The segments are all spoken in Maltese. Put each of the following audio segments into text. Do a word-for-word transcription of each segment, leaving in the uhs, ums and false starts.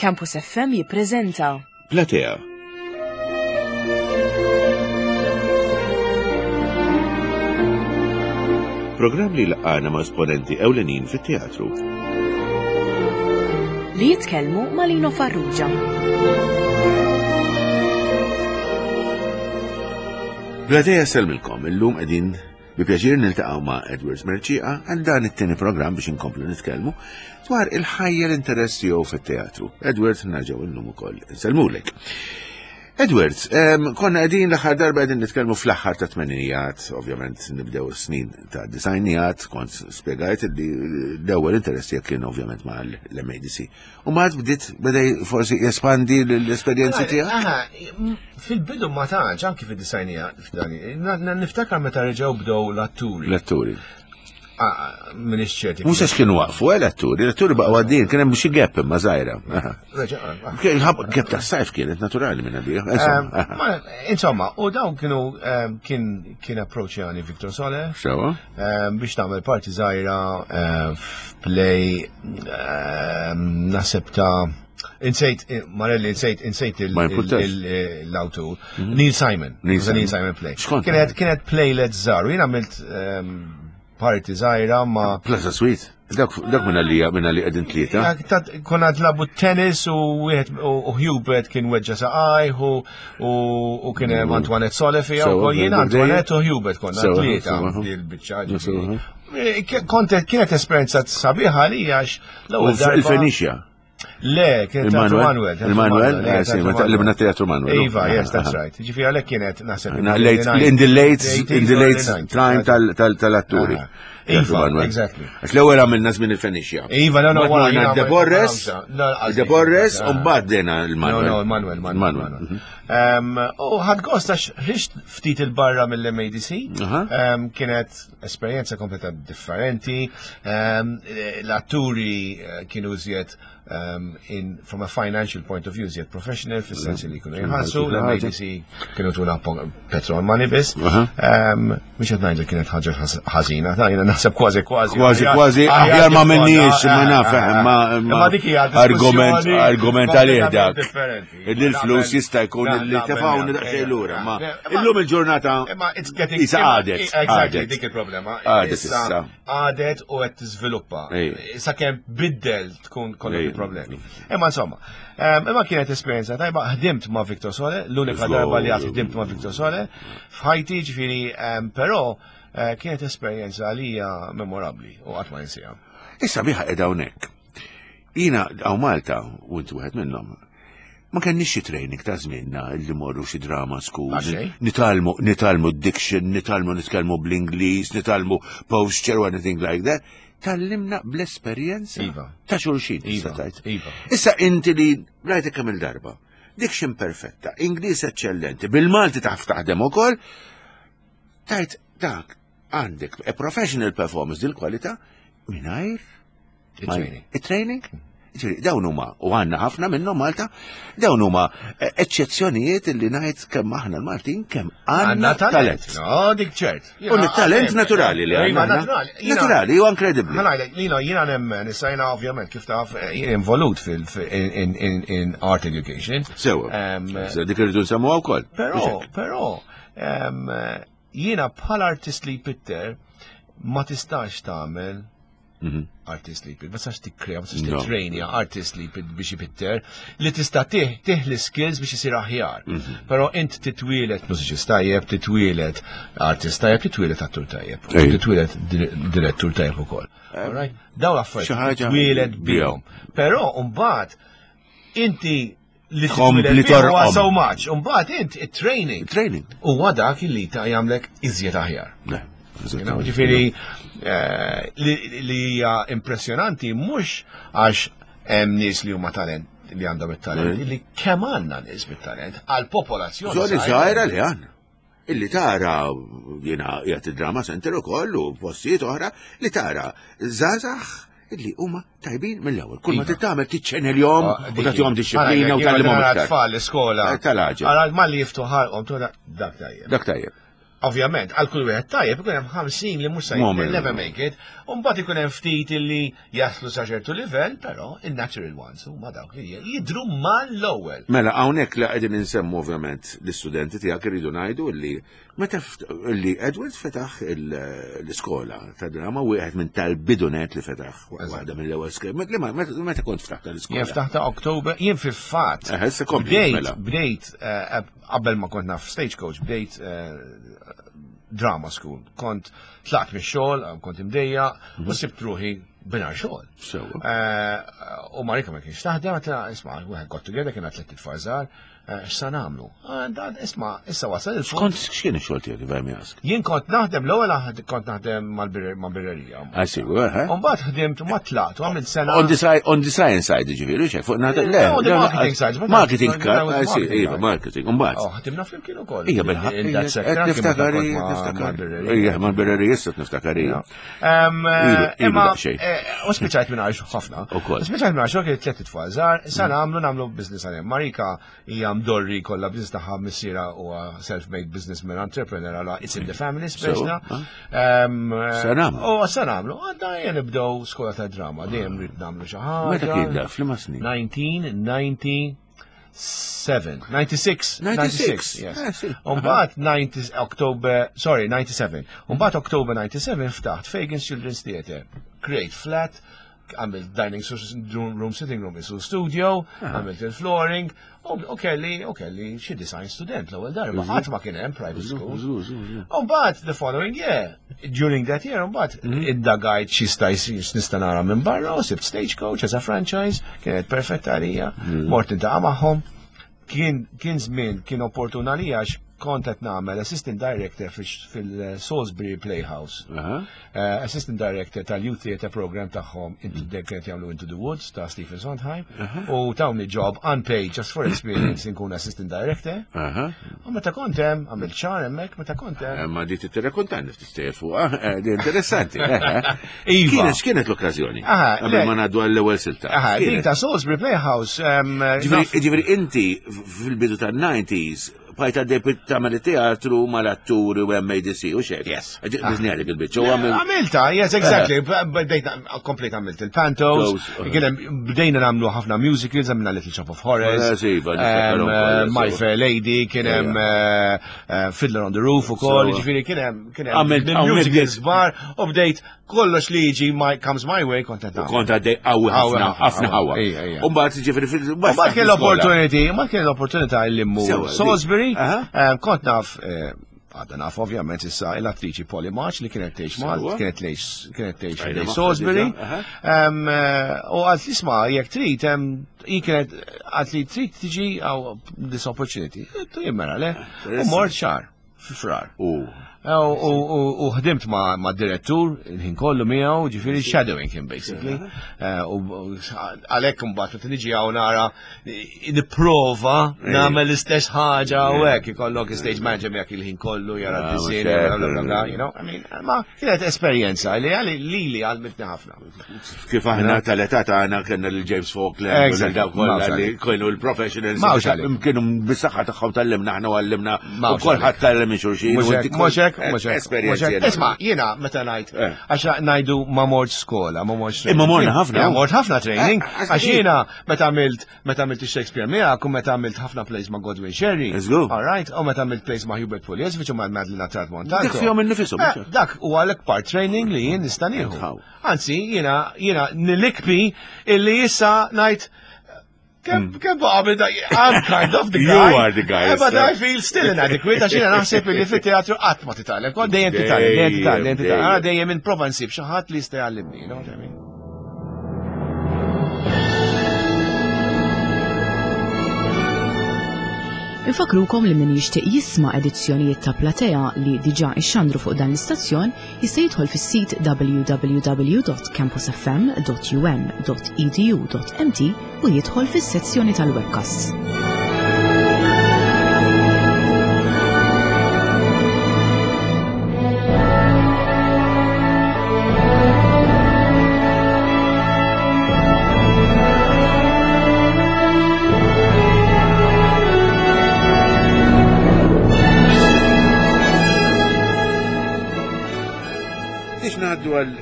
Campus F M jippreżenta Platea. Programm li laqana ma' esponenti ewlenin fit-teatru. Li jitkellmu ma' Lino Farrugia. Platea sellmilkom, illum qegħdin bi pjaċir niltaqgħu ma' Edward Mercieca għal dan it-tieni programm biex inkomplu nitkellmu dwar il-ħajja, l-interess tiegħu fit-teatru. Edward, nerġgħu illum ukoll insellmulek. Edward, em, konna qegħdin l-aħħar darba qegħdin nitkellmu fl-aħħar ta' tmenijat, ovvjament nibdew snin ta' disgħinijat, kont spjegajt li l-ewwel interess tiegħek kien ovvjament ma' l-M A D C. U ma bdiet beda forsi jespandi l-esperjenzi tiegħek? Aha, fil-bidu ma tantx, anki fid-disgħinijat, niftakar meta reġgħu bdew l-atturi. L-atturi. Ah, Minix ċerti. Mhux għax kienu waqfu, eh, l-atturi, l-atturi baqgħu għaddin, kien hemm xi gap imma żgħira. Aha. Reġa' ah. Kien ħab- Gap ta' sajf kienet naturali minn għalija. Insomma, aha. Ma, Insomma, u dawn kienu em, kien kien approachjani Victor Sole Sewa? em, biex tagħmel parti żgħira em, f'play em, naħseb ta' Insejt, eh, Marelli, insejt, insejt il- Ma jimpurtax. il- il- l-autur. Neil Simon. Neil It was a Neil Simon. Simon play. X'kont? Kienet, kienet playlet żgħar. U jien għamilt em, parti żgħira ma' Plaza Suite. Dak dak minna li minna li qegħdin tlieta. Ja, ta- Konna nilagħbu tennis u wieħed u u Hubert kien weġġa saqajh u u kien hemm Antoinette Sole fiha Sewa, u jien dejjem. Antoinette u Hubert konna Sewa, tlieta sewa. dil-biċċa. Sewa. ġifieri. Eh, Kont kienet esperjenza sabiħa li għax U l-ewwel darba. il-Fenicia. Le, kienet Teatru Il-Manuel. Manuel. Teatru Il-Manuel, le, eh, sì, Teatru ma taqlibna Teatru Manuel. Iva, yes, that's Aha. right. Ġifieri għalhekk kienet naħseb. Na, late, in the late, in the late time tal- tal- tal-atturi. Aha. Teatru Iva, Manuel. exactly. Għax l-ewwel għamilna żmien il-Fenicia. Iva, no, no, Mbagħad wara morna jiena De Borres, No, De Borres, ah. u mbagħad dena il-Manuel. No, no, Manuel, Manuel. Manuel. Manuel. Um, U ħadt gost għax ħriġt ftit il-barra mill-M A D C. Aha. Um, kienet esperjenza kompleta differenti. Um, L-atturi eh, kienu żjed um, in, from a financial point of view, żjed professional, fis-sens li kienu jħallsu. L-M A D C kienu tuna po- petrol money biss. Aha. Um, Mhux qed ngħidu kienet ħaġa ħas- ħażina, ta' jiena naħseb kważi kważi. Kważi, kważi, aħjar ma minniex, ma naf, ma- ma- Ma dik hija argument, diskussjoni argument għalih dak. kompletament differenti. Illi l-flus jista' jkun Na- illi naqbel tefawni miegħek, daqsxejn ejja. lura. Ma Imma- illum il-ġurnata Imma it's getting Isa għadet, Exactly, għadet. dik il-problema. Għadet issa. Għadet u qed tiżviluppa. Ejja. Sakemm biddel tkun kollok Ejja. il-problemi. Imma insomma, em, imma kienet esperjenza tajba, ħdimt ma' Victor Sole, l-unika Żgur. darba li għad ħdimt ma' Victor Sole, f'ħajti ġifieri, em, però eh, kienet esperjenza għalija memorabbli u qatt ma ninsiha. Issa biħa qiegħda hawnhekk. Jiena hawn Malta, u inti wieħed minnhom, ma kenniex xi training ta' żmienna li morru xi drama school. Għaxej? Nitgħallmu, nitgħallmu diction, nitgħallmu nitkellmu bl-Ingliż, nitgħallmu posture or anything like that. Tgħallimna bl-esperjenza Iva. ta' xulxin. Iva, tista' tgħid. iva. Issa inti li rajtek kemm il-darba. Diction perfetta, Ingliż eccellenti, bil-Malti taf taħdem ukoll, tajt dak għandek a professional performance dil-kwalità mingħajr Il-training. Il-training? Ġifieri, dawn huma, u għandna ħafna minnhom Malta, dawn huma eh, eċċezzjonijiet li ngħid kemm aħna l-Maltin kemm għandna talent. No, dik ċert. U talent naturali li Iva, għandna. naturali. Jiena- Naturali, u inkredibbli. Ħa ngħidlek, Lino, jiena nemmen, issa jiena ovvjament kif taf, eh, jien involut fil in, in, in, in art education. Sewa. Em, Issa dik irridu nsemmuha wkoll. Però, però, em, jiena bħala artist li jpitter ma tistax tagħmel Mhm. artist li jpitter, ma tistax tikkrea, ma tistax No. titrejnja artist li jpitter biex jpitter, li tista' tih tih l-skills biex isir aħjar. Mhm. Però int titwielet mużiċist tajjeb, titwielet artist tajjeb, titwielet attur tajjeb, Ej. titwielet dir- direttur tajjeb ukoll. Alright? Dawn l-affarijiet Xi ħaġa titwielet bihom. Però mbagħad inti li Tkompli titwielet bihom huwa torqom. so much, mbagħad int it-training Training. huwa dak li ta' jagħmlek iżjed aħjar. Le. You know, Ġifieri eh, li li hija impressjonanti mhux għax hemm nies li huma talent li għandhom it-talent, Mm. li kemm għandna nies bit-talent għal popolazzjoni. Żoni żgħira li għandna. Illi tara jiena qiegħed id-drama center ukoll u postijiet oħra li tara żgħażagħ illi huma tajbin mill-ewwel. Kull ma Iva. titgħamel tiċċenilhom Ah, u tagħtihom disċiplina u tgħallimhom iktar. Tfal l-iskola. Eh, tal-għaġeb. Ara malli jiftu ħalqhom tuħda dak tajjeb. Dak tajjeb. Ovvjament, għal kull wieħed tajjeb ikun hemm ħamsin li mhux se Moment. never make it, u mbagħad ikun hemm ftit li jaslu sa ċertu livell, però in-natural ones huma dawk li jidhru mal-ewwel. Mela, hawnhekk la qegħdin insemmu ovvjament l-istudenti tiegħek irridu ngħidu li meta ft- li Edward fetaħ il- l-iskola ta' drama, wieħed minn tal-bidunet li fetaħ waħda mill-ewwel skola. Meta meta kont ftaħt l-iskola? Jien ftaħta October, jien fil-fatt. Eh, issa kompli, Bdejt, mela. bdejt, eh, qabel ma kont naf Stagecoach, bdejt eh, drama school. Kont tlaqt mix-xogħol, kont imdejjaq, u sibt ruħi mingħajr xogħol. Sewwa. Eh, U Marika ma kienx taħdem, għedtilha, isma', we got together, kien tliet itfal żgħar, eh, x'sa nagħmlu? Ah, dan, isma', issa wasal il-punt. Kont x'kien ix-xogħol tiegħek, if I may ask? Jien kont naħdem l-ewwel aħd- kont naħdem mal-birrerija. I see, well, eh? U mbagħad ħdimt u ma tlaqt u għamilt sena. On the side, on the science side, ġifieri, xe, fuq naħda, le, No, on the le, marketing side, but Marketing, I was I see, marketing iva, guy. marketing, umbagħad. Oh, ħdimna flimkien ukoll. Ija, bil-ħaq, In that sector, qed anke meta niftakar, kont ma' niftakar. mal-birrerija. Ija, mal-birrerija issa niftakar, ija. Um, Ilu- ilu Imma, daqsxejn. eh, u spiċajt minn għajx ħafna. Ukoll. Spiċajt minn għajx kien tliet itfal żgħar, sa nagħmlu nagħmlu business għalihom. Marika hija mdorri kollha business tagħha, missierha huwa self-made businessman, entrepreneur, għala it's in the family speċna. So, Um, Sa nagħmlu? U sa nagħmlu, għadda ejja nibdew skola ta' drama, dejjem rrid nagħmlu xi ħaġa. Meta kien da, f'liema snin? nineteen ninety-seven, ninety-six, ninety-six, ninety-six, yes. Eh, sì. Umbagħad ninety October, sorry, ninety-seven. Umbagħad October ninety-seven ftaħt Fagan's Children's Theatre. Create flat, għamilt dining room, room, sitting room, isu studio, għamilt il-flooring, u u kelli, u kelli xi design student l-ewwel darba. Qatt ma kien hemm private school. Żgur, żgur, żgur. Umbagħad the following year, during that year, umbagħad iddagajt xi staj nista' nara minn barra u sibt Stagecoach as a franchise, kienet perfetta għalija, mort niltaqa' magħhom. Kien kien żmien kien opportun għalija għax kont qed nagħmel assistant director fil-Salisbury Playhouse. Aha. Uh, assistant director tal-Youth Theatre program tagħhom, into the kienet jagħmlu Into the Woods ta' Stephen Sondheim, u tawni job unpaid just for experience inkun assistant director. Aha. U meta kont hemm, għamilt xahar hemmhekk, meta kont hemm. Eh, Ma di tirrakkontanni ftit stejjer fuq, eh, di interessanti. eh, eh. Iva. Kienet x'kienet l-okkażjoni? Aha, Qabel le. ma ngħaddu għall-ewwel silta. Aha, din Kienet? ta' Salisbury Playhouse. Um, Ġifieri naf- ġifieri inti fil-bidu tan-nineties bqajt għaddej tagħmel teatru mal-atturi u M A D C u xejn. Yes. Bizni għalik il-biċċa u għamil. Għamilta, yes, exactly. Bdejt, komplet għamilt il-pantos, Close, kien hemm- bdejna nagħmlu ħafna musicals, għamilna Little Shop of Horrors, Eh, sì, iva, um, niftakarhom eh, kollha, My so. Fair Lady, kien hemm eh, eh, Fiddler on the Roof ukoll, So. ġifieri kien hemm kien hemm Għamilt- għamilt musicals kbar, u bdejt kollox li jiġi my, comes my way kont qed nagħmel. Kont għaddej qawwi Qawwi ħafna, ħafna, ħafna ħawa. Ija, ija. U mbagħad ġifieri fil U mbagħad kien l-opportunity, mbagħad kien l-opportunità li mmur Sewa, di- Salisbury, Aha. eh, kont naf eh, għadda naf ovvjament issa l-attriċi Polly March li kienet tgħix Malta, Sewa. kienet tgħix kienet tgħix Għajna ħdejn magħha Salisbury. diġà, aha. Em, eh, U għalt isma' jekk trid, em, hi kienet għalt li trid tiġi għaw this opportunity. Jien mela le. U mort xahar, fi Frar. U U- U u- u ħdimt ma' ma' direttur, il-ħin kollu miegħu, ġifieri shadowing him basically. Eh, U u għalhekk imbagħad meta niġi hawn nara nipprova nagħmel l-istess ħaġa u hekk ikollok stage manager miegħek il-ħin kollu jara Ah, d-disinn, mhux hekk, bla, bla, bla, you know, I mean, ma kienet esperjenza li għali li li għallmitni ħafna. Kif aħna tal-età tagħna kellna lil James Falkland u Exactly. lil dawk kollha Mawx li għalik. kienu l-professionals. Mawx għalik. Kienu bis-saħħa tagħhom tallimna aħna u għallimna u Mawx kulħadd tallem minn xulxin. u Mhux inti hekk, mhux hekk, kont- mhux hekk, Esperjenzi mhux hekk. enormi. Isma', jiena meta ngħid Eh. għax ngħidu ma mort skola, ma mort training. Imma morna ħafna. Ja, mort ħafna training, Eh, għax jiena meta għamilt meta għamilt Shakespeare miegħek u meta għamilt ħafna plays ma' Godwin Sherry. Let's go. All right, u meta għamilt plays ma' Hubert Pugliesevich u ma' Madeline Attard Montalto. Dak fihom innifisom, Eh, mhux hekk? Dak u għalek part training li jien nista' nieħu. How? Anzi, jiena jiena nilikbi illi issa ngħid Kemm kemm baqa' minn dak- I'm kind of the You guy. are the guy, Eh, But sir. I feel still inadequate għax jiena naħseb illi fit-teatru qatt ma titgħallem. Kont dejjem titgħallem, dejjem titgħallem, dejjem titgħallem. Ara dejjem inprova nsib xi ħadd li jista' jgħallimni, you know what I mean? Infakrukom li min jixtieq jisma' edizzjonijiet ta' Platea li diġà ixxandru fuq dan l-istazzjon jista' jidħol fis-sit w w w dot campusfm dot um dot edu dot m t u jidħol fis-sezzjoni tal-webcasts. Biex ngħaddu għal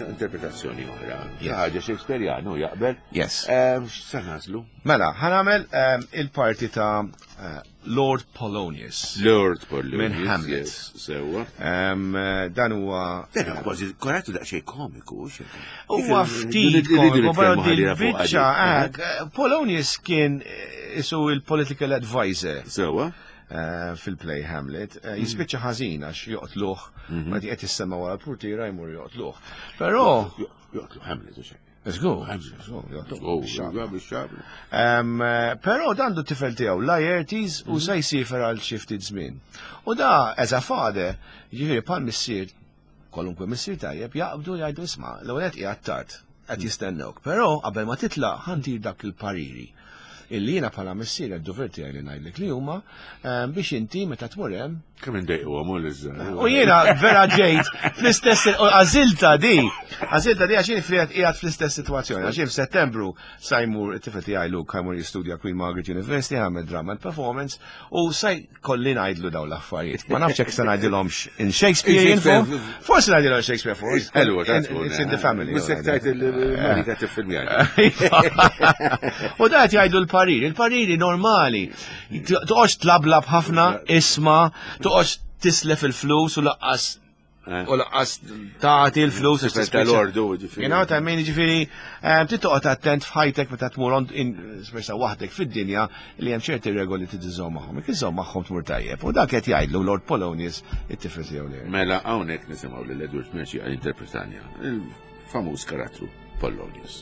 interpretazzjoni oħra. Ħaġa Shakespeareanu jaqbel. Yes. X'sa nagħżlu? Mela, ħa nagħmel il-parti ta' Lord Polonius. Lord Polonius. Minn Hamlet. Sewwa. Dan huwa. Dan huwa kważi korrettu daqsxejn komiku. Huwa ftit komiku, però dil-biċċa. Polonius kien isu il-political advisor. Sewwa. Fil-play Hamlet, jispiċċa ħażin għax joqtluh, ma qed jissemma wara l-portiera jmur joqtluh. Però joqtlu Hamlet u xejn. Żgur, żgur, Però dan du tifel tiegħu Laertes u se jsiefer għal xi ftit żmien. U da as a father, jiġifieri bħal missier, kwalunkwe missier tajjeb, jaqbdu jgħidu isma' l-ewwel qed qiegħed tard, qed jistennewk. Però qabel ma titlaq ħantir dak il-pariri illi jiena bħala missier għad-dover tiegħi li ngħidlek li huma biex inti meta tmur hemm. Kemm indejqu għamul iż-żgħar. U jiena vera ġejt fl-istess għażilta di, għażilta di għax jien qiegħed fl-istess sitwazzjoni. Għax jien f'Settembru sa jmur it-tifel tiegħi Luke jmur jistudja Queen Margaret University, jagħmel drama and performance u sa jkolli ngħidlu dawn l-affarijiet. Ma nafx hekk se ngħidilhomx in Shakespeare form. Forsi ngħidilhom Shakespeare form. It's in the family. Mhux tajt il-Marika tiffilmjani. U da qed jgħidu l-pariri, il-pariri normali. Toqgħodx tlablab ħafna, isma', toqgħodx tislef il-flus u laqqas u laqqas tagħti l-flus għax tal-ordu, ġifieri. You know what I mean, ġifieri, trid toqgħod attent f'ħajtek meta tmur speċa waħdek fid-dinja li hemm ċerti regoli trid iżżomm magħhom. Jekk iżżomm magħhom tmur tajjeb. U dak qed jgħidlu Lord Polonius it-tifel tiegħu li. Mela hawnhekk nisimgħu lil Edward Mercieca jinterpretanja il-famuż karattru Polonius.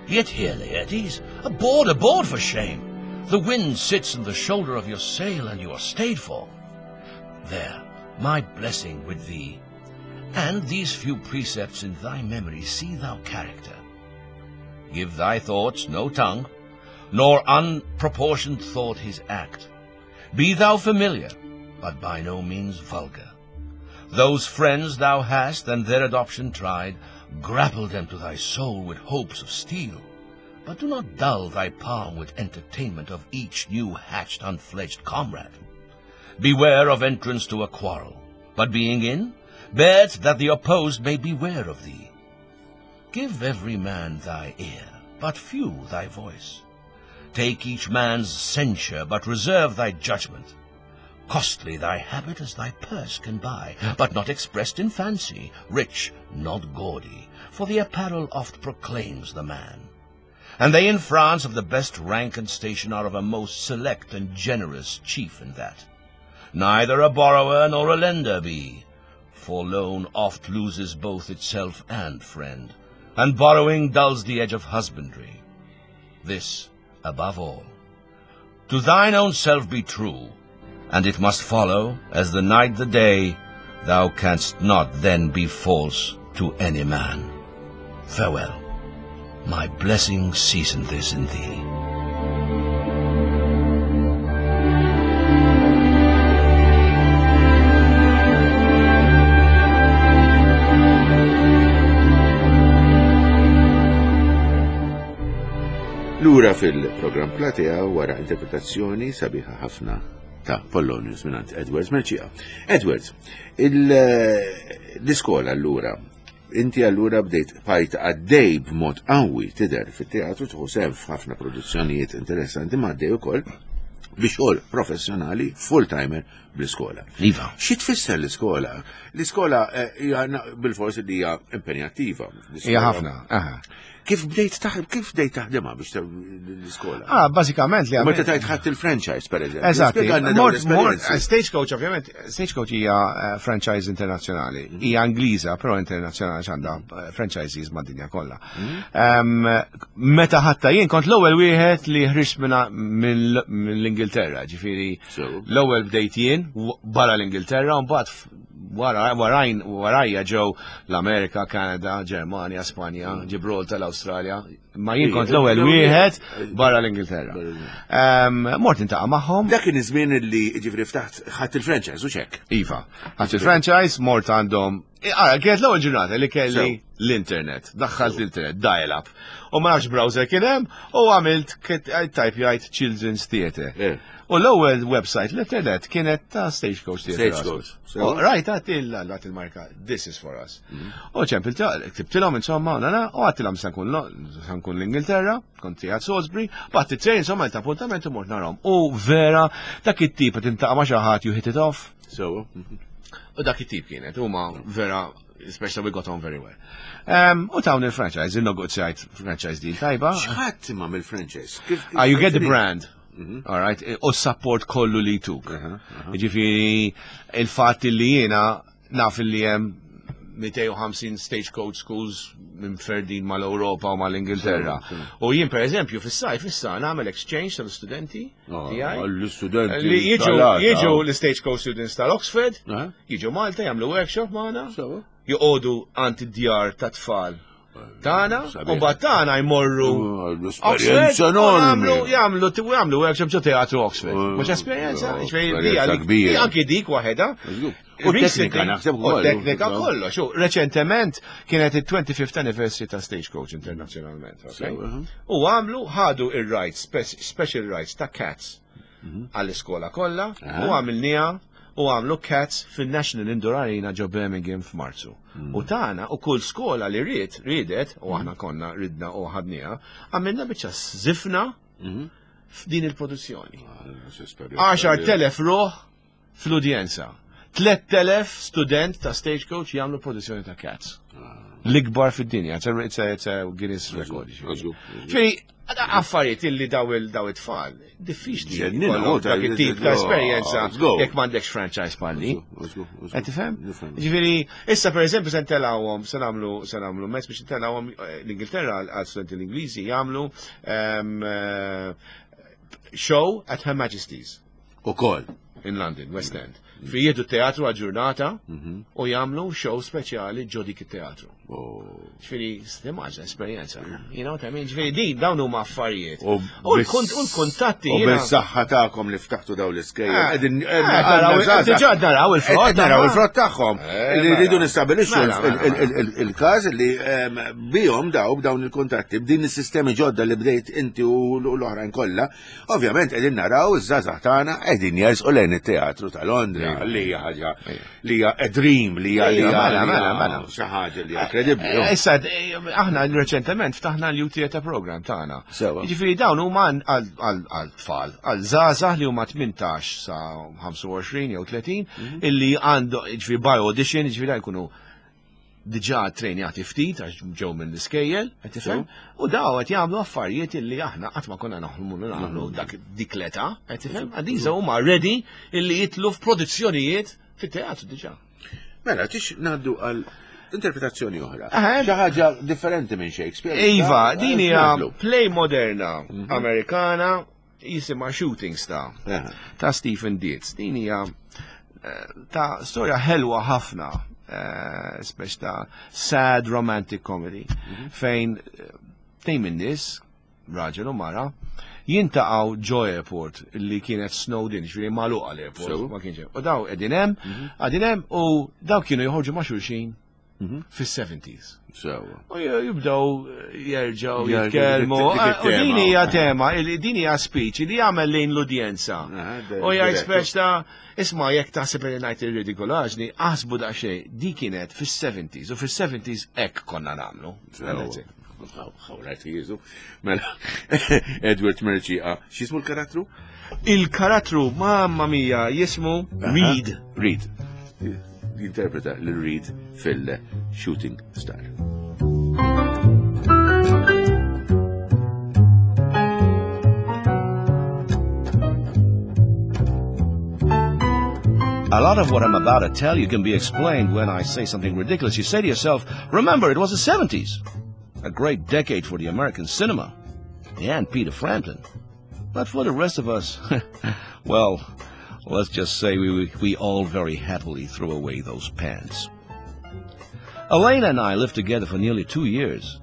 Yet here, Laertes, aboard, aboard for shame! The wind sits in the shoulder of your sail, and you are stayed for. There, my blessing with thee, and these few precepts in thy memory see thou character. Give thy thoughts no tongue, nor unproportioned thought his act. Be thou familiar, but by no means vulgar. Those friends thou hast, and their adoption tried, grapple them to thy soul with hopes of steel, but do not dull thy palm with entertainment of each new hatched unfledged comrade. Beware of entrance to a quarrel, but being in, bear it that the opposed may beware of thee. Give every man thy ear, but few thy voice. Take each man's censure, but reserve thy judgment. Costly thy habit as thy purse can buy, but not expressed in fancy, rich, not gaudy, for the apparel oft proclaims the man. And they in France of the best rank and station are of a most select and generous chief in that. Neither a borrower nor a lender be, for loan oft loses both itself and friend, and borrowing dulls the edge of husbandry. This, above all, to thine own self be true, and it must follow, as the night the day, thou canst not then be false to any man. Farewell. My blessing season this in thee. Lura fil-programm Platea wara interpretazzjoni sabiħa ħafna ta' Polonius mingħand Edwards Mercieca. Edwards, l-iskola allura, inti allura bdejt bajt għaddej b'mod qawwi tidher fit-teatru, tieħu sehem f'ħafna produzzjonijiet interessanti, ma għaddej ukoll bi xogħol professjonali full-timer bl-iskola. Iva. Xi tfisser l-iskola? L-iskola hija bil-forsi li hija impenjattiva. Hija ħafna, aha. Kif bdejt taħdem, kif bdejt taħdimha biex l-iskola? Ah, bażikament li Meta tajt ħadd il-franchise pereżempju. Eżatt. Stagecoach ovvjament, Stagecoach hija franchise internazzjonali. Hija Ingliża, però internazzjonali għandha franchises mad-dinja kollha. Meta ħatta jien kont l-ewwel wieħed li ħriġt mill-Ingilterra, ġifieri l-ewwel bdejt jien barra l-Ingilterra u mbagħad warajn warajja ġew l-Amerika, Kanada, Ġermanja, Spanja, Ġibraltar, l-Awstralja. Ma jien kont l-ewwel wieħed barra l-Ingilterra. Mort intaqa' magħhom. Dak kien iż-żmien li ġifieri ftaħt ħadd il-franchise u x'hekk. Iva, ħadd il-franchise, mort għandhom Ara, kienet l-ewwel ġurnata li kelli l-internet, daħħalt l-internet, dial-up. U ma nafx browser kien hemm u għamilt type jgħid Children's Theatre. Eh. U l-ewwel website l-internet kienet ta' Stagecoach Theatre. Stagecoach. U Rajt għat il il-marka, this is for us. U ċempilt, ktibtilhom insomma, nana, u għedtilhom se nkun se nkun l-Ingilterra, kont qiegħed Salisbury, bat it-train insomma l-appuntament u mort narahom. U vera, dak it-tip qed tintaqa' ma' xi ħadd you hit it off. So, U dak it-tip kienet, huma vera, especially we got on very well. Um, u tawni il-franchise, il-negozjajt franchise deal tajba. x'ħadd imma mill-franchise? Kif Ah, you get the brand. All right, u support kollu li tuk. Ġifieri, il-fatt li jiena naf li hemm mitejn u ħamsin stagecoach schools minn ferdin mal-Europa u mal-Ingilterra. U jien per eżempju fis-sajf issa nagħmel exchange tal-studenti Ah, tiegħi. L-istudenti. Li jiġu tal-għada. jiġu l-stagecoach students tal-Oxford, Eh? jiġu Malta jagħmlu workshop magħna, Sewa. joqogħdu għand id-djar ta' tfal tagħna, Sabiħ. u mbagħad tagħna jmorru Oh, L-esperjenza Oxford, u enormi. jagħmlu jagħmlu jagħmlu workshop ġo teatru Oxford. Oh, Mhux esperjenza, oh, ġifieri esperjenza di- kbira. Anki dik waħedha. U teknika naħseb U ukoll. teknika kollox. U reċentement kienet il-twenty-fifth anniversary ta' Stagecoach internazzjonalment. Okay? Sewa, uh-huh. U għamlu ħadu il-rights, spe- special rights ta' Cats għall-iskola kollha Aha. u għamilniha u għamlu Cats fil-National Indoor Arena ġo Birmingham f'Marzu. U tagħna u kull skola li ried, riedet, u aħna konna ridna u ħadniha, għamilna biċċa żifna f'din il-produzzjoni. għaxart elef ruħ fl-udjenza. tlett elef student ta' Stagecoach jagħmlu produzzjoni ta' Cats. L-ikbar fid-dinja, it's a, it's a, it's a Guinness record. Żgur. Ġifieri, affarijiet illi daw il daw it-tfal, diffiċli. Ġennina, jkollhom oh, dak it-tip ta' oh, esperjenza let's go. jekk m'għandekx franchise palli. Qed tifhem? Nifhem. Ġifieri, issa per eżempju se ntellgħuhom, se nagħmlu se nagħmlu mezz biex ntellgħuhom eh, l-Ingilterra għal studenti l-Ingliżi jagħmlu ehm, eh, show at Her Majesty's U koll. in London, West End. Fi jieħdu teatru għal ġurnata u jagħmlu show speċjali ġo dik it-teatru. Ġifieri, timmaġina esperjenza. You know what I mean? Ġifieri, din dawn huma affarijiet. U l-kont- u l-kuntatti U jiena- bil-saħħa tagħkom li ftaħtu daw l-iskejjel. Eh, Qegħdin- eh, qegħdin- naraw- għandna żgħażagħ. diġà naraw il-frott, Qed naraw ma. il-frott tagħhom. Eh, Li rridu mela. nistabilixxu Mela, mela, il- il- il- il-każ li ehm, bihom daw b'dawn il-kuntatti b'din is-sistemi ġodda li bdejt inti u l-oħrajn kollha, ovvjament qegħdin naraw iż-żgħażagħ tagħna qegħdin jersqu lejn it-teatru ta' Londra li hija ħaġa li hija a dream li hija li hija Mela, li mela, hija mela. xi ħaġa li hija kredibbli. Eh, Issa, eh, aħna reċentement ftaħna l-Youth Theatre Program tagħna. Sewa. Jiġifieri dawn huma għal għal tfal, għal żgħażagħ li huma tmintax sa ħamsa u għoxrin jew tletin illi għandu jiġifieri by audition, jiġifieri dawn jkunu diġà trejnjati ftit għax ġew minn l-iskejjel, qed tifhem? U daw qed jagħmlu affarijiet illi aħna qatt ma konna naħlmu li nagħmlu dak dik l-età, qed tifhem? Għadiża huma ready illi jitlu f'produzzjonijiet fit-teatru diġà. Mela, tix ngħaddu għal interpretazzjoni oħra. Aha. Xi ħaġa differenti minn Shakespeare. Iva, din hija Nagħmlu. play moderna Amerikana jisimha Shooting Star Aha. ta' Stephen Dietz. Din hija eh, ta' storja ħelwa ħafna, eh, speċ ta' sad romantic comedy, fejn eh, tnejn minn nies, raġel u mara, jiltaqgħu ġo airport li kienet snowed in, ġifieri magħluqa l-airport, Sew. ma kienx hemm. U daw qegħdin hemm, qegħdin hemm u daw kienu joħorġu ma' xulxin fis-seventies. Sewa. U jibdew jerġgħu Jerġgħu jitkellmu. dik U din it-tema. hija tema, il- din hija speech li jagħmel lejn l-udjenza. Aha, de- U jgħid direct. speech ta' isma' jekk taħseb li ngħid ir-ridikolaġni, aħsbu daqsxejn, di kienet fis-seventies u fis-seventies hekk konna nagħmlu. Sewa. Ħawrajt jizu. Mela, Edward Mercieca, x'jismu l-karattru? Il-karattru, mamma mia, jismu Reed. Reed. Jinterpreta l-Reed fil-Shooting Star. A lot of what I'm about to tell you can be explained when I say something ridiculous. You say to yourself, remember, it was the seventies. A great decade for the American cinema. And Peter Frampton. But for the rest of us, well, let's just say we, we, we all very happily threw away those pants. Elena and I lived together for nearly two years.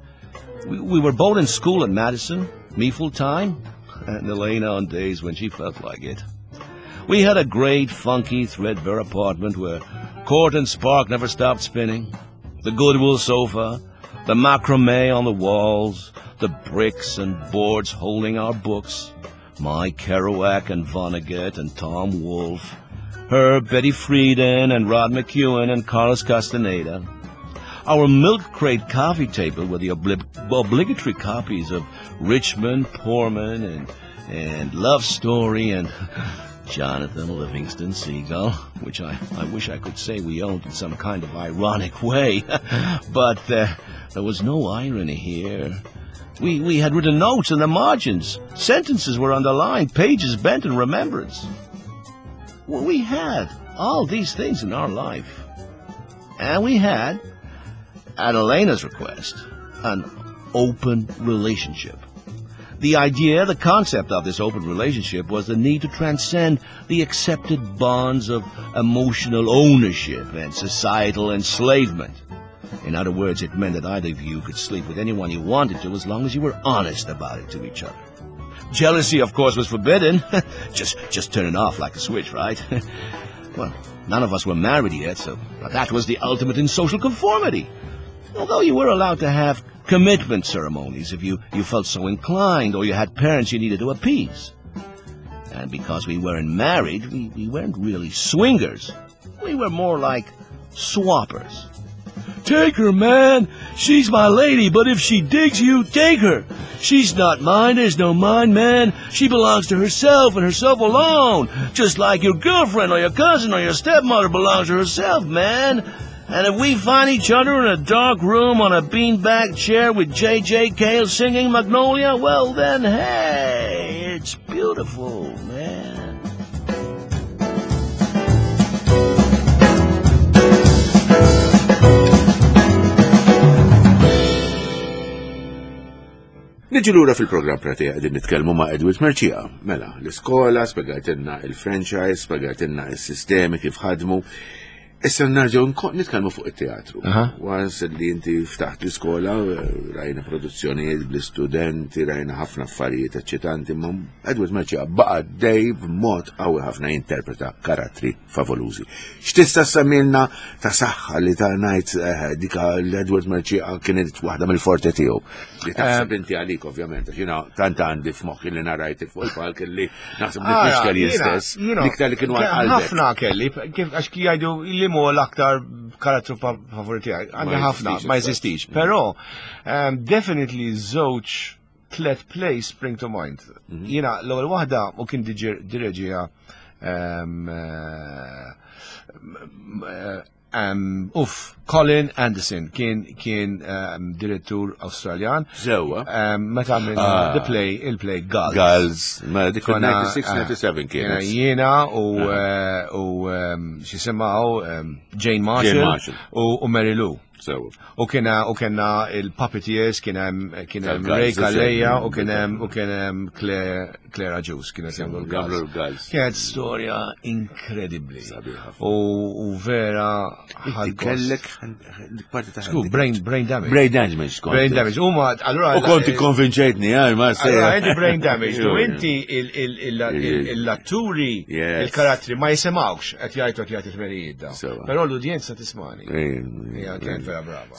We, we were both in school at Madison, me full time, and Elena on days when she felt like it. We had a great, funky, threadbare apartment where Court and Spark never stopped spinning. The Goodwill sofa, the macrame on the walls, the bricks and boards holding our books, my Kerouac and Vonnegut and Tom Wolfe, her Betty Friedan and Rod McKuen and Carlos Castaneda, our milk crate coffee table with the obli- obligatory copies of Richmond, Poorman, and, and Love Story and Jonathan Livingston Seagull, which I, I wish I could say we owned in some kind of ironic way. But uh, there was no irony here. We, we had written notes in the margins. Sentences were underlined, pages bent in remembrance. Well, we had all these things in our life. And we had, at Elena's request, an open relationship. The idea, the concept of this open relationship was the need to transcend the accepted bonds of emotional ownership and societal enslavement. In other words, it meant that either of you could sleep with anyone you wanted to as long as you were honest about it to each other. Jealousy, of course, was forbidden. just, just turn it off like a switch, right? Well, none of us were married yet, so that was the ultimate in social conformity. Although you were allowed to have commitment ceremonies if you, you felt so inclined or you had parents you needed to appease. And because we weren't married, we, we weren't really swingers. We were more like swappers. Take her, man. She's my lady, but if she digs you, take her. She's not mine. There's no mine, man. She belongs to herself and herself alone. Just like your girlfriend or your cousin or your stepmother belongs to herself, man. And if we find each other in a dark room on a beanbag chair with J J. Cale singing Magnolia, well then, hey, it's beautiful, man. Niġu lura fil-programm Platea qegħdin nitkellmu ma' Edward Mercieca. Mela, l-iskola, spjegajtilna il-franchise, spjegajtilna il-sistemi kif ħadmu. Issa nerġgħu nitkellmu fuq it-teatru. Once li inti ftaħt l-iskola, rajna produzzjonijiet bl-istudenti, rajna ħafna affarijiet eċċitanti, ma Edward Mercieca baqa' dej b'mod qawwi ħafna jinterpreta karattri favolużi. X'tista' semmilna ta' saħħa li ta' ngħid dika l-Edward Mercieca kienet waħda mill-forti tiegħu. Li taħseb inti għalik ovvjament, għax jiena tant għandi f'moħħi li narajt fuq il-palk li naħseb li mhux kelli stess, l-iktar li kienu għal qalbek. Ħafna kelli, kif għax jgħidu li mu l-aktar karattru favoriti għandi ħafna, ma jeżistix. Però definitely żewġ tlet plays spring to mind. Jiena l-ewwel waħda u kien direġija uff, Colin Anderson kien kien direttur Awstraljan. Żewwa. Meta għamilna the play, il-play Gulls. Gulls, ma dik ninety-six ninety-seven kienet. Jiena u x'isimgħu Jane Marshall u Mary Lou. U kiena u kienna il-puppeteers, kien hemm kien hemm Ray Calleja u kien hemm u kien hemm Clara Juice kienet jagħmlu l-Gulls. Kienet storja inkredibbli. U vera kellek parti ta' Sku, brain brain damage. Brain damage. Brain damage. Huma allura u konti konvinċejtni, għaj ma se. Allura inti brain damage. U inti l-atturi il-karattri ma jisimgħux qed jgħidu qed jgħid it-tmerijiet da. Però l-udjenza tismani. Hija kienet vera brava.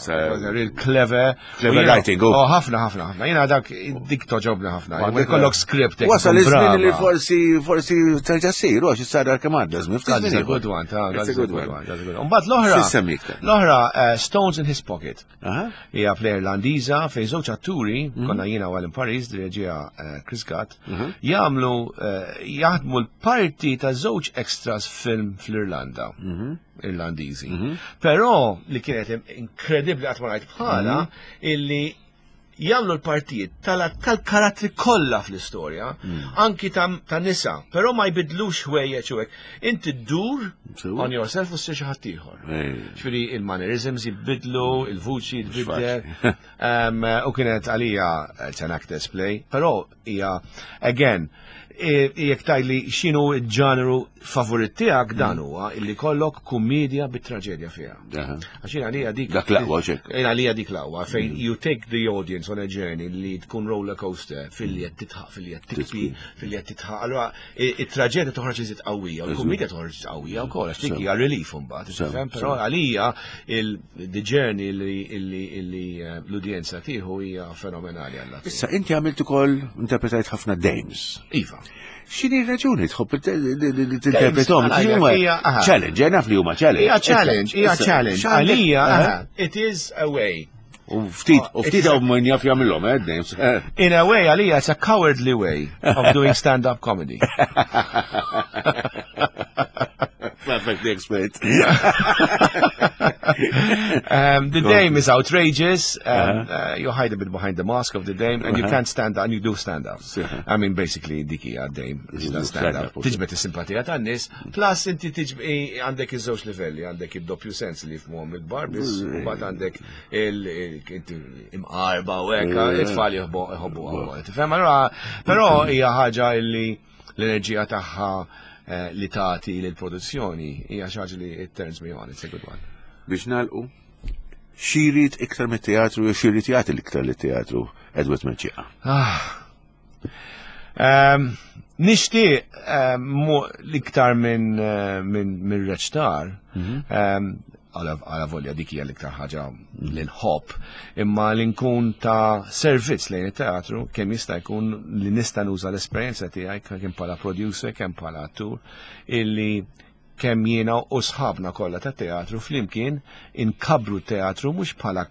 Real clever. Clever writing. Oh, ħafna, ħafna, ħafna. Jiena dak dik toġobni ħafna. Jkollok script. Wasal iż-żmien li forsi forsi terġa' ssir, għax issar kemm għadda żmien. That's a good one, that's a good one. That's a good one. Mbagħad l-oħra. L-oħra Stones in His Pocket. Hija play Irlandiża fejn żewġ atturi, konna jiena u Alan Paris, direġija Chris Gatt, jagħmlu jaħdmu l-parti ta' żewġ extras film fl-Irlanda. Irlandiżi. Però li kienet inkredibbli qatt ma rajt bħala illi jagħmlu l-partijiet tal-karattri kollha fl-istorja, anki ta' nisa, però ma jbidlux ħwejjeġ u hekk. Inti ddur on yourself u ssir xi ħadd ieħor. Ġifieri il-mannerisms jibidlu, il-vuċi jitbiddel. U kienet għalija it's an actor's play, però hija again Jekk tgħidli x'inhu l-ġanru favorit tiegħek, dan huwa illi kollok kummedja bit-traġedja fiha. Għax jien għalija dik Dak l-aqwa ċek. Jien għalija dik l-aqwa fejn you take the audience on a journey li tkun roller coaster filli qed tidħaq, filli qed tibki, filli qed tidħaq. Allura it-traġedja toħroġ iżid qawwija, u l-kummedja toħroġ qawwija wkoll għax dik hija relief imbagħad, tifhem? Però għalija il-the journey li li l-udjenza tieħu hija fenomenali għalla. Issa inti għamilt ukoll interpretajt ħafna dames. Iva. X'inhi raġuni tħobb tinterpretom? Challenge, naf li huma challenge. Hija challenge, hija challenge. Għalija, it is a way. U ftit, u ftit hawn min jaf jagħmilhom, eh, dames. In a way, għalija, it's a cowardly way of doing stand-up comedy. Perfectly explained. um, the dame is outrageous. Um, uh-huh. uh, you hide a bit behind the mask of the dame, and you uh-huh. can't stand up, and you do stand up. Uh-huh. I mean, basically, dik hija dame, stand up. Tiġbed is-simpatija tan-nies, plus inti tiġbed għandek iż-żewġ livelli, għandek id-doppju sens li jifhmuhom il-kbar biss, u mbagħad għandek il-imqarba u hekk, it-tfal jħobbu. Tifhem? Allura, però hija ħaġa illi l-enerġija tagħha li tagħti lill-produzzjoni hija xi ħaġa li it turns me on, it's a good one. Biex nagħlqu, x'irid iktar mit-teatru jew x'irid jagħti l-iktar lit-teatru Edward Mercieca? Nixtieq l-iktar minn minn reċtar, għala volja dik hija l-iktar ħaġa li nħobb, imma li nkun ta' servizz lejn it-teatru kemm jista' jkun li nista' nuża l-esperjenza tiegħi kemm bħala producer, kemm bħala attur, illi kemm jiena u sħabna kollha tat-teatru flimkien inkabru teatru mhux bħala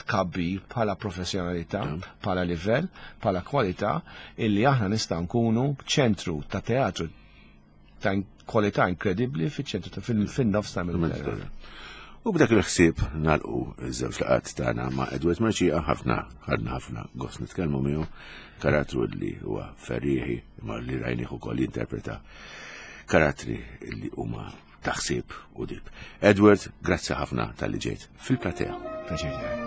tkabbir, bħala professjonalità, bħala livell, bħala kwalità, illi aħna nista' nkunu ċentru ta' teatru ta' kwalità inkredibbli fiċ-ċentru fin-nofs ta' Mediterran. U b'dak il-ħsieb nagħlqu iż-żewġ laqgħat tagħna ma' Edward Mercieca, ħafna ħadna ħafna gost nitkellmu miegħu, karattru li huwa ferrieħi imma li rajnih ukoll jinterpreta karattri li huma taħsib u dib. Edward, grazzi ħafna tal-li ġejt fil-platea. Pjaċir tiegħi.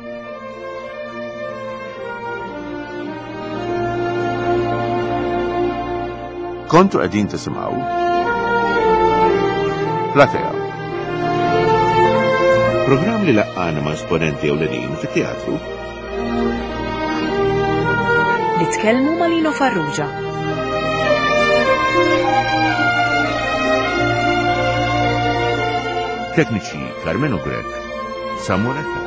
Kontu qegħdin tisimgħu Platea. Programm li laqqana ma' esponenti ewlenin fit-teatru. Li tkellmu ma' Lino Farrugia. Tekniċi Carmelo Grech, Samuel Attard.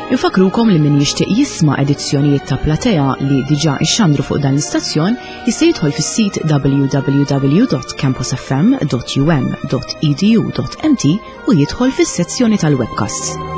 Infakrukom li min jixtieq jisma' edizzjonijiet ta' Platea li diġà ixxandru fuq dan l-istazzjon jista' jidħol fis-sit w w w dot campus f m dot u m dot e d u dot m t u jidħol fis-sezzjoni tal-webcasts.